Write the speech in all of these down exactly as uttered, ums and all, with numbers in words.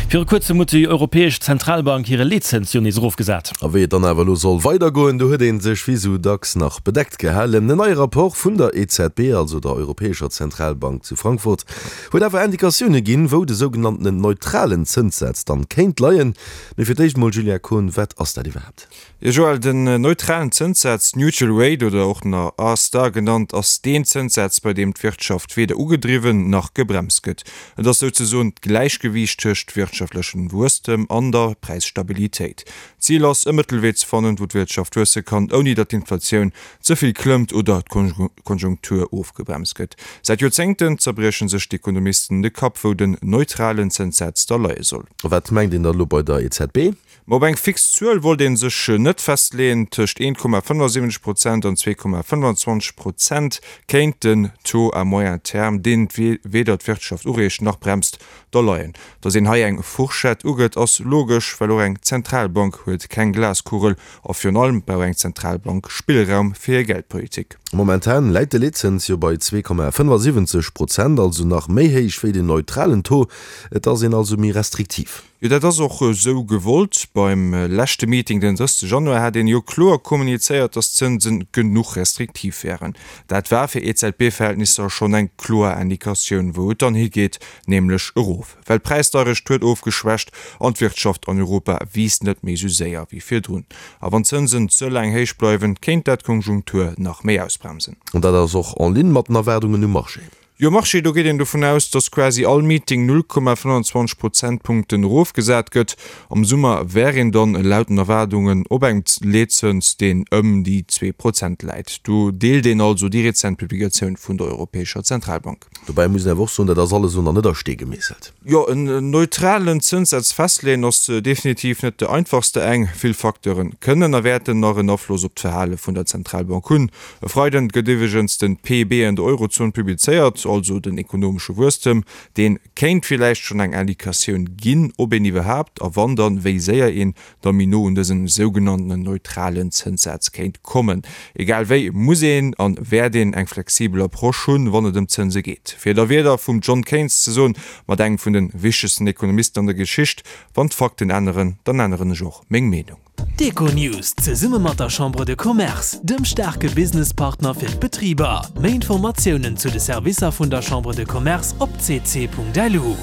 Viru kuerzem huet déi Europäesch Zentralbank hire Leetzëns jo nees erofgesat. A wéi et dann awer elo soll weidergoen, do huet ee sech wéi sou dacks nach bedeckt gehalen. En neie Rapport vun der E Z B, also der Europäescher Zentralbank zu Frankfurt, huet awer Indikatioune ginn, wou de sougenanntenen neutralen Zënssaz dann kéint leien. Mee fir d'éischt mol, Julia Kohn, wat ass dat iwwerhaapt? Jo Joël, den neutralen Zënssaz, Neutral Rate oder och nach R-Star genannt, ass deen Zënssaz, bei deem d'Wirtschaft weder ugedriwwen nach gebremst gëtt. Et ass souzesoen d'Gläichgewiicht tëscht wirtschaftlechem Wuesstem an der Präisstabilitéit. D'Zil ass, e Mëttelwee ze fannen, wou d'Wirtschaft wuesse kann, ouni datt d'Inflatioun ze vill klëmmt oder d'Konjunktur ofgebremst gëtt. Säit Joerzéngten zerbrieche sech d'Ekonomisten de Kapp, wou den neutralen Zënssaz da leie soll. Wat mengt een dann elo bei der E Z B? Ma op eng fix Zuel wollt ee sech net festleeën. Tëscht een Komma fënnefensiwwenzeg Prozent an zwee Komma fënnfanzwanzeg Prozent kéint den Taux à moyen terme, deen weder d'Wirtschaft ureegt nach bremst, da leien. Datt een hei eng Fourchette ugëtt, ass logesch, well och eng Zentralbank huet keng Glaskugel a virun allem brauch eng Zentralbank Spillraum fir hir Geldpolitik. Momentan läit de Leetzëns jo bei zwee Komma fënnefensiwwenzeg Prozent, also nach méi héich wéi den neutralen Taux. Et ass een also méi restriktiv. Jo, dat ass och esou gewollt. Beim leschte Meeting den drëssegste Januar hat een jo kloer kommunizéiert, datt d'Zënse genuch restriktiv wären. Dat war fir E Z B-Verhältnisser schonn eng kloer Indikatioun, wou et dann higeet, nämlech erof. Well d'Präisdeierecht huet ofgeschwächt an d'Wirtschaft an Europa wiisst net méi sou séier wéi virdrun. A wann d'Zënsen ze laang héich bleiwen, kéint dat d'Konjunktur nach méi ausbremsen. An dat ass och en ligne mat den Erwaardungen um Marché. Jo, Marché, do geet een dovun aus, datt quasi all Meeting null Komma fënnfanzwanzeg Prozentpunkten erofgesat gëtt. Am Summer wär een dann laut den Erwaardungen op engem Leetzëns, deen ëm déi zwee Prozent läit. Do deelt een also déi rezent Publikatioun vun der Europäescher Zentralbank. Dobäi muss een awer och soen, dat ass alles elo nach net a Stee gemeesselt. Jo, en neutralen Zënssaz festleeën ass definitiv net de einfachste. Eng vill Facteure kënnen a wäerten nach en Afloss op d'Verhale vun der Zentralbank hunn. E Freiden gëtt iwwregens den P I B an der Eurozon publizéiert, also den ekonomesche Wuesstem. Deen kéint villäicht schonn eng Indikatioun ginn, ob een iwwerhaapt a wann dann wéi séier een da méi no un dësen sougenannten neutralen Zënssaz kéint kommen. Egal wéi muss een an wäert een eng flexibel Approche hunn, wann et ëm d'Zënse geet. Fir et a Wierder vum John Keynes ze soen, mat engem vun de wichtegsten Ekonomisten an der Geschicht: Wann d'Fakten änneren, dann änneren ech och meng Meenung. D'Econews zesumme mat der Chambre de Commerce, dem staarke Businesspartner fir d'Betriber. Méi Informatiounen zu de Servicer vun der Chambre de Commerce op C C Punkt L U.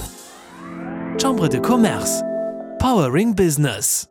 Chambre de Commerce. Powering Business.